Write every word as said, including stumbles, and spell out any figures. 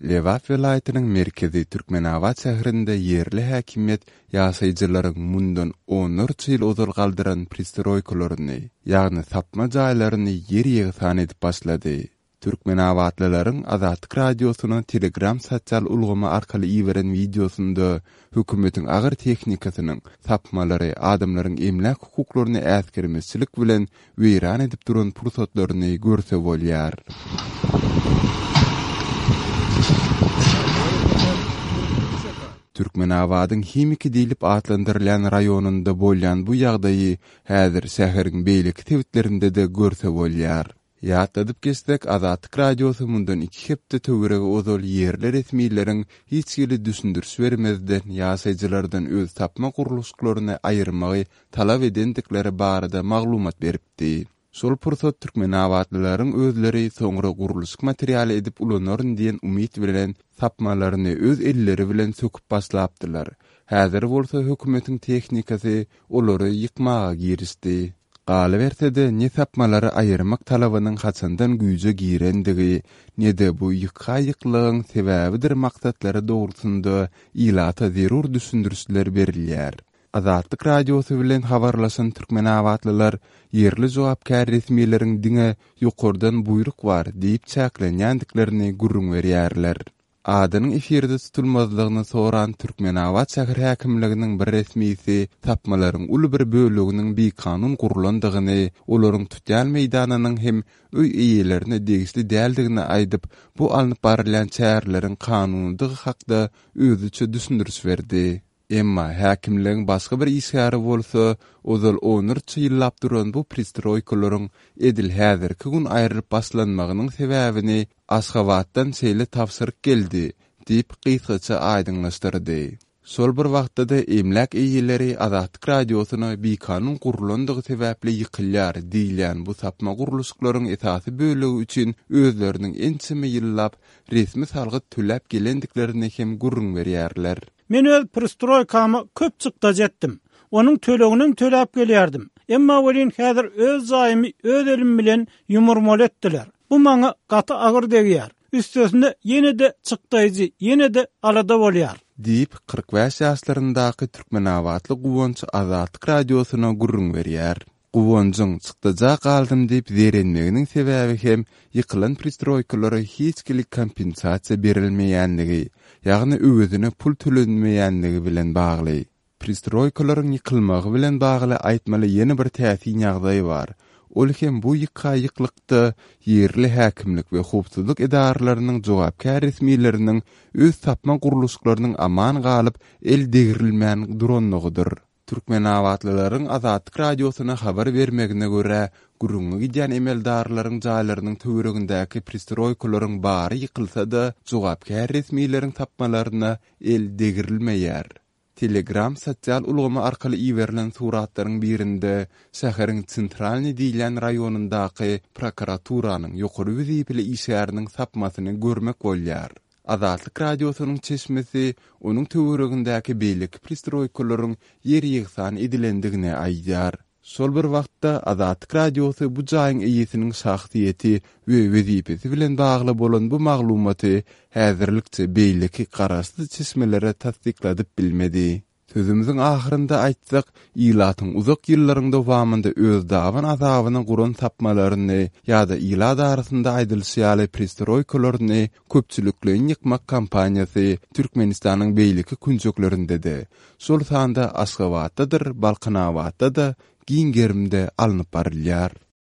Lebap welaýatynyň merkezi Türkmenabat şäherinde ýerli häkimiýet ýaşaýjylaryň mundan onlarça ýyl ozal galdyran pristroýkalaryny, ýagny sapma jaýlaryny ýer-ýegsan edip başlady. Türkmenabatlylaryň Azatlyk Radiosyna Telegram sosial ulgamy arkaly iberen wideosynda hökümetiň agyr tehnikasynyň sapmalary adamlaryň emläk hukuklaryny äsgermezçilik bilen weýran edip duran pursatlaryny görse bolýar. Türkmenabadyň Himiki diýlip atlandyrylýan raýonynda bolýan bu ýagdaýy häzir şäheriň beýleki sebitlerinde-de görse bolýar. Ýatladyp geçsek, Azatlyk Radiosy mundan iki hepde töweregi ozal ýerli resmileriň hiç hili düşündiriş bermezden ýaşaýjylardan öz sapma gurluşyklaryny aýyrmagy talap edendikleri barada maglumat beripdi. Şol pursat türkmenabatlylaryň özleri soňra gurluşyk materialy edip ulanaryn diýen umyt bilen sapmalaryny öz elleri bilen söküp başlapdylar. Häzir bolsa hökümetiň tehnikasy olary ýykmaga girişdi. Galyberse-de, ne sapmalary aýyrmak talabynyň haçandan güýje girendigi, ne-de bu ýykga-ýyklygyň sebäbidir maksatlary dogrusynda ilata zerur düşündirişler berilýär. Azatlyk Radiosy bilen habarlaşan türkmenabatlylar ýerli jogapkär resmileriň diňe ýokardan buýruk bar diýip çäklenýändiklerini gürrüň berýärler. Adynyň efirde tutulmazlygyny soran Türkmenabat şäher häkimliginiň bir resmisi sapmalaryň uly bir böleginiň bikanun gurlandygyny, olaryň tutýan meýdanynyň hem öý eýelerine degişli däldigini aýdyp, bu alnyp barylýan çäreleriň kanunydygy hakda özüçe düşündiriş berdi. Emma häkimligiň başga bir işgäri bolsa, ozal onlarça ýyllap duran bu pristroýkalaryň edil häzirki gün aýrylyp başlanmagynyň sebäbini Aşgabatdan şeýle tabşyryk geldi diýip, gysgaça aýdyňlaşdyrdy. Şol bir wagtda-da emläk eýeleri Azatlyk Radiosyna bikanun gurlandygy sebäpli ýykylýar diýilýän bu sapma gurluşyklaryň esasy bölegi üçin özleriniň ençeme ýyllap resmi salgyt töläp gelendiklerini hem gürrüň berýärler. Men öz pristroýkama köp çykdajy etdim. Onuň töleginem töläp gelýärdim. Emma welin häzir öz jaýymy öz elim bilen ýumurmaly etdiler. Bu maňa gaty agyr degýär. Üstesine ýene-de çykdaýjy, ýene-de alada bolýar. Diýip, kyrk bäş ýaşlaryndaky türkmenabatly Guwanç Azatlyk Radiosyna gürrüň berýär. Guwanjyň çykdaja galdym diýip zeýrenmeginiň sebäbi hem ýykylan pristroýkalara hiç hili kompensasiýa berilmeýänligi, ýagny öwezine pul tölenmeýänligi bilen bagly. Pristroýkalaryň ýykylmagy bilen bagly aýtmaly ýene bir täsin ýagdaý bar. Ol hem bu ýykga-ýyklykda ýerli häkimlik we howpsuzlyk edaralarynyň jogapkär resmileriniň öz sapma gurluşyklarynyň aman galyp, el degrilmän duranlygydyr. Türkmenabatlylaryň Azatlyk Radiosyna habar bermegine görä, gürrüňi gidýän emeldarlaryň jaýlarynyň töweregindäki pristroýkalaryň bary ýykylsa-da, jogapkär resmileriň sapmalaryna el degrilmeýär. Telegram sosial ulgamy arkaly iberilen suratlaryň birinde şäheriň Tsentralnyý diýilýän raýonyndaky prokuraturanyň ýokary wezipeli işgäriniň sapmasyny görmek bolýar. Azatlyk Radiosynyň çeşmesi onuň töweregindäki beýleki pristroýkalaryň ýer-ýegsan edilendigini aýdýar. Şol bir wagtda, Azatlyk Radiosy bu jaýyň eýesiniň şahsyýeti we wezipesi bilen bagly bolan bu maglumaty häzirlikçe beýleki garaşsyz çeşmelere tassykladyp bilmedi. Sözümiziň ahyrynda aýtsak, ilatyň uzak ýyllaryň dowamynda öz daban azabyna guran sapmalaryny ýa-da ilat arasynda aýdylyşy ýaly pristroýkalaryny köpçülikleýin ýykmak kampaniýasy Türkmenistanyň beýleki künjeklerinde-de, şol sanda Aşgabatdadyr Balkanabatda-da giň gerimde alnyp barylýar.